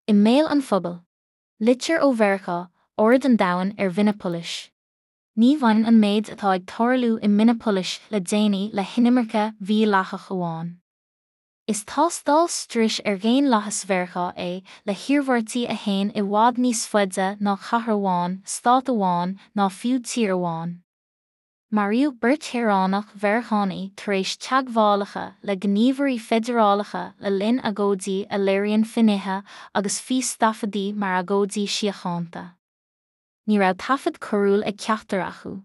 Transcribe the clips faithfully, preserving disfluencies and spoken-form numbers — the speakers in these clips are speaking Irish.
I mbéal an phobail. Litir ó Mheiriceá, aird an domhain ar Mhinneapolais. Ní bhaineann an méid atá ag tarlú i Minneapolis le déanaí le hinimirce mhídhleathach amháin. Is tástáil struis ar dhaonlathas Mheiriceá é le hiarmhairtí a théann i bhfad níos faide ná cathair amháin, stát amháin ná fiú tír amháin. Maraíodh beirt shaoránach Mheiriceánaigh tar éis teagmhálacha le gníomhairí feidearálacha le linn agóidí a léiríonn finnéithe agus fístaifeadtaí mar agóidí síochánta. Ní raibh taifead coiriúil ag ceachtar acu.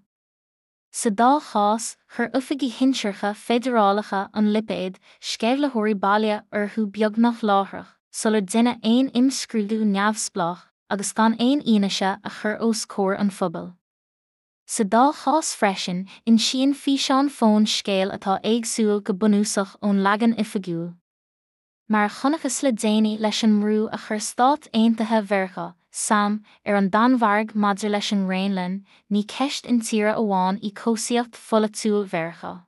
Sa dá chás, chuir oifigigh shinsearacha feidearálacha an lipéad sceimhlitheoirí baile orthu beagnach láithreach, sular deineadh aon imscrúdú neamhspleách agus gan aon fhianaise a chur os comhair an phobail. Sa dá chás freisin, insíonn físeáin fóin scéal atá éagsúil go bunúsach ón leagan oifigiúil. Mar a chonacthas le déanaí leis an mbrú a chuir Stáit Aontaithe Mheiriceá, SAM, ar an Danmhairg maidir leis an nGraonlainn, ní ceist intíre amháin í cobhsaíocht pholaitiúil Mheiriceá.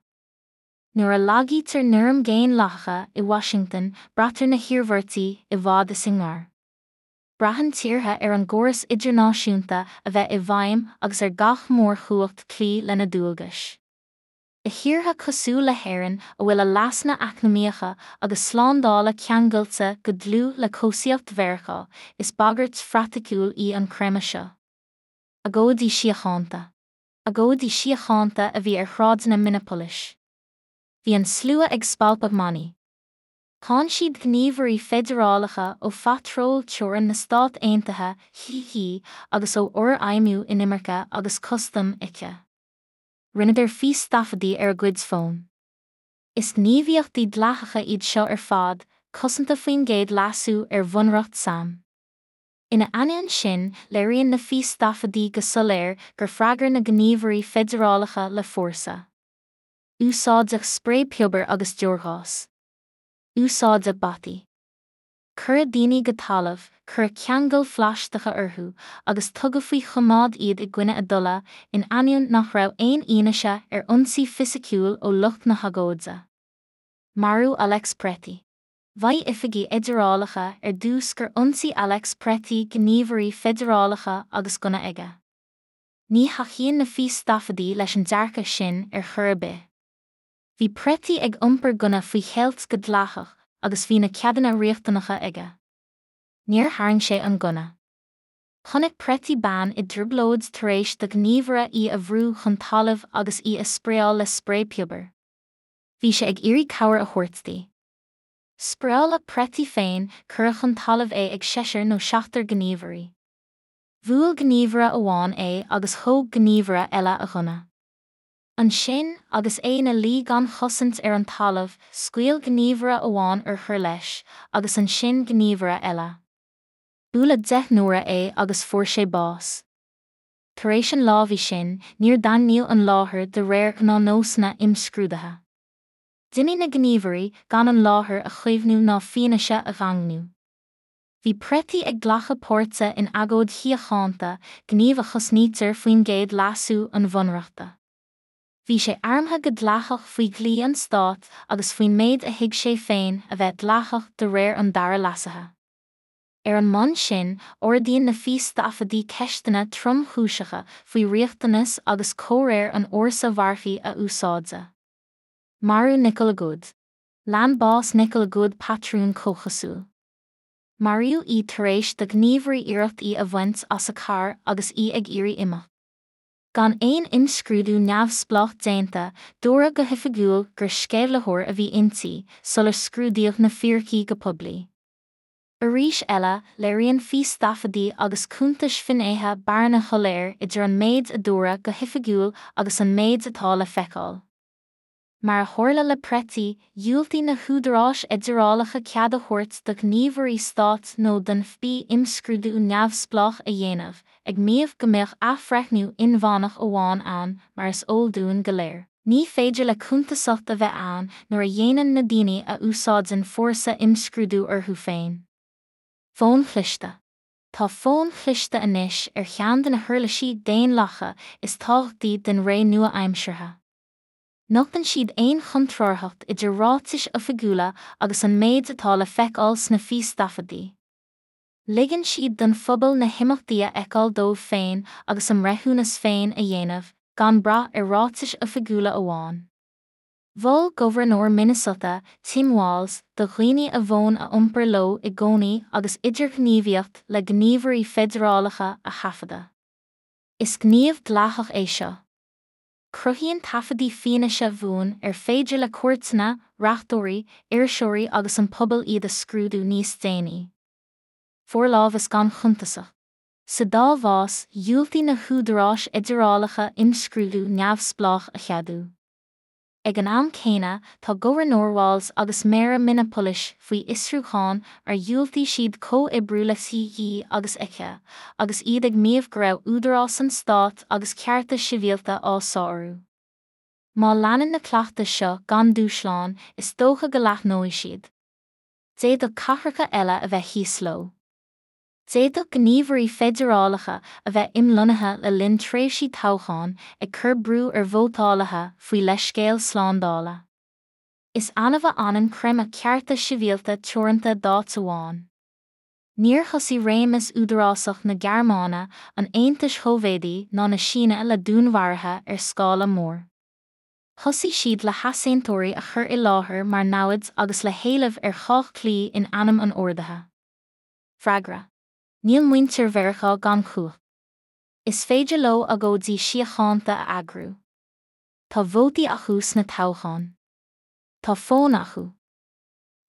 Nuair a lagaítear noirm dhaonlathacha i Washington, braitear na hiarmhairtí i bhfad is i ngar. Braitheann tíortha ar an gcóras idirnáisiúnta a bheith i bhfeidhm agus ar gach mórchumhacht cloí lena ndualgais. I dtíortha cosúil le hÉirinn a bhfuil a leasanna eacnamaíocha agus slándála ceangailte go dlúth le cobhsaíocht Mheiriceá, is bagairt phraiticiúil í an creimeadh seo. Agóidí síochánta. Agóidí síochánta a bhí ar shráideanna Minneapolis. Bhí an slua ag spalpadh manaí. Cháin siad gníomhairí feidearálacha ó phatról teorann na Stát Aontaithe C.H.I. agus ó Fhorfheidhmiú Inimirce agus Custaim ICE. Rinneadar fístaifeadtaí ar a gcuid fón. Is gníomhaíochtaí dleathacha iad seo ar fad, cosanta faoin gcéad leasú ar Bhunreacht SAM. Ina ainneoin sin, léiríonn na fístaifeadtaí go soiléir gur freagair na gníomhairí feidearálacha le fórsa. Úsáideadh sprae piobair agus deorghás. Úsáideadh bataí. Cuireadh daoine go talamh, cuireadh ceangail phlaisteacha orthu, agus tugadh faoi choimeád iad i gcoinne a dtola, in ainneoin nach raibh aon fhianaise ar ionsaí fisiciúil ó lucht na hagóide. Marú Alex Pretti. Mhaígh oifigigh fheidearálacha ar dtús gur ionsaigh Alex Pretti gníomhairí feidearálacha agus gunna aige. Ní thacaíonn na fístaifeadtaí leis an dearcadh sin ar chor ar bith. Bhí Pretti ag iompar gunna faoi cheilt go dleathach agus bhí na ceadanna riachtanacha aige. Níor tharraing sé an gunna. Chonaic Pretti bean i dtrioblóid tar éis do ghníomhaire í a bhrú chun talaimh agus í a spraeáil le sprae piobair. Bhí sé ag iarraidh cabhair a thabhairt di. Spraeáladh Pretti féin, cuireadh chun talaimh é ag seisear nó seachtar gníomhairí. Bhuail gníomhaire amháin é agus thóg gníomhaire eile a ghunna. Ansin, agus é ina luí gan chosaint ar an talamh, scaoil gníomhaire amháin urchar leis, agus ansin gníomhaire eile. Buaileadh deich n-uaire é agus fuair sé bás. Tar éis an lámhaigh sin, níor daingníodh an láthair de réir ghnáthnósanna imscrúdaithe. D'imigh na gníomhairí gan an láthair a chaomhnú ná fianaise a dhaingniú. Bhí Pretti ag glacadh páirte in agóid shíochánta, gníomh a chosnaítear faoin gcéad leasú an Bhunreachta. Bhí sé armtha go dleathach faoi dhlí an stáit agus faoin méid a thuig sé féin a bheith dleathach de réir an dara leasaithe. Ar an mbonn sin, ardaíonn na fístaifeadtaí ceisteanna tromchúiseacha faoi riachtanas agus comhréir an fhórsa mharfaigh a úsáideadh. Marú Nicole Goode. Lean bás Nicole Goode patrún comhchosúil. Maraíodh í tar éis do ghníomhairí iarracht í a bhaint as a carr agus í ag iarraidh imeacht. Gan aon imscrúdú neamhspleách déanta, dúradh go hoifigiúil gur sceimhlitheoir a bhí inti, sular scrúdaíodh na fíricí go poiblí. Arís eile, léiríonn fístaifeadtaí agus cuntais finnéithe bearna shoiléir idir an méid a dúradh go hoifigiúil agus an méid atá le feiceáil. Mar a tharla le Pretti, dhiúltaigh na húdaráis fheidearálacha cead a thabhairt do ghníomhairí stáit nó don FBI imscrúdú neamhspleách a dhéanamh, ag maíomh go mbeadh athbhreithniú inmheánach amháin ann mar is eol dúinn go léir. Ní féidir le cuntasacht a bheith ann nuair a dhéanann na daoine a úsáideann fórsa imscrúdú orthu féin. Fóin chliste. Tá fóin chliste anois ar cheann de na huirlisí daonlathacha is tábhachtaí den ré nua-aimseartha. Nochtann siad aon chontrárthacht idir ráitis oifigiúla agus an méid atá le feiceáil sna fístaifeadtaí. Ligeann siad don phobal na himeachtaí a fheiceáil dóibh féin agus a mbreithiúnas féin a dhéanamh, gan brath ar ráitis oifigiúla amháin. Mhol Gobharnóir Minnesota, Tim Walz, do dhaoine a bhfón a iompar leo i gcónaí agus idirghníomhaíocht le gníomhairí feidearálacha a thaifeadadh. Is gníomh dleathach é seo. Cruthaíonn taifeadtaí fianaise bhuan ar féidir le cúirteanna, reachtóirí, iriseoirí agus an pobal iad a scrúdú níos déanaí. Forlámhas gan chuntasacht. Sa dá chás, dhiúltaigh na húdaráis fheidearálacha imscrúdú neamhspleách a cheadú. Ag an am céanna, tá Gobharnóir Walz agus Méara Minneapolis faoi fhiosrúchán ar dhiúltaigh siad comhoibriú le C.E. agus ICE, agus iad ag maíomh go raibh údarás an stáit agus cearta sibhialta á sárú. Má leanann na cleachtais seo gan dúshlán, is dócha go leathnóidh siad. D'fhéadfadh cathracha eile a bheith thíos leo. D'fhéadfadh gníomhairí feidearálacha a bheith imlonnaithe le linn tréimhsí toghcháin ag cur brú ar vótálaithe faoi leithscéal slándála. Is annamh a fhanann creimeadh cearta sibhialta teoranta d'áit amháin. Níor thosaigh réimeas údarásach na Gearmáine, an Aontais Shóivéadaigh ná na Síne le dúnmharuithe ar scála mór. Thosaigh siad le heasaontóirí a chur i láthair mar namhaid agus le héileamh ar chách cloí in ainm an ordaithe. Freagra. Níl muintir Mheiriceá gan chumhacht. Is féidir leo agóidí síochánta a eagrú. Tá vótaí acu sna toghcháin. Tá fón acu.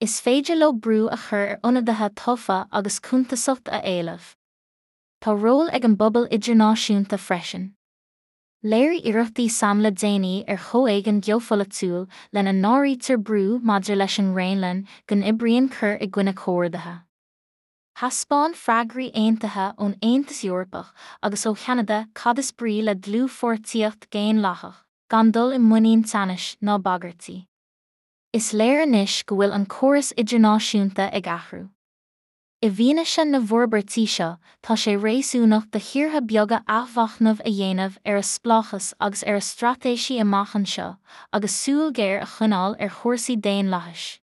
Is féidir leo brú a chur ar ionadaithe tofa agus cuntasacht a éileamh. Tá ról ag an bpobal idirnáisiúnta freisin. Léirigh iarrachtaí SAM le déanaí ar chomhéigean geopholaitiúil lena n-áirítear brú maidir leis an nGraonlainn go n-oibríonn cur i gcoinne comhordaithe. Thaispeáin freagraí aontaithe ón Aontas Eorpach agus ó Cheanada cad is brí le dlúthpháirtíocht dhaonlathach, gan dul i muinín teannais ná bagairtí. Is léir anois go bhfuil an córas idirnáisiúnta ag athrú. I bhfianaise na bhforbairtí seo, tá sé réasúnach do thíortha beaga athmhachnamh a dhéanamh ar a spleáchas agus ar a straitéisí amach anseo, agus súil ghéar a choinneáil ar chúrsaí daonlathais.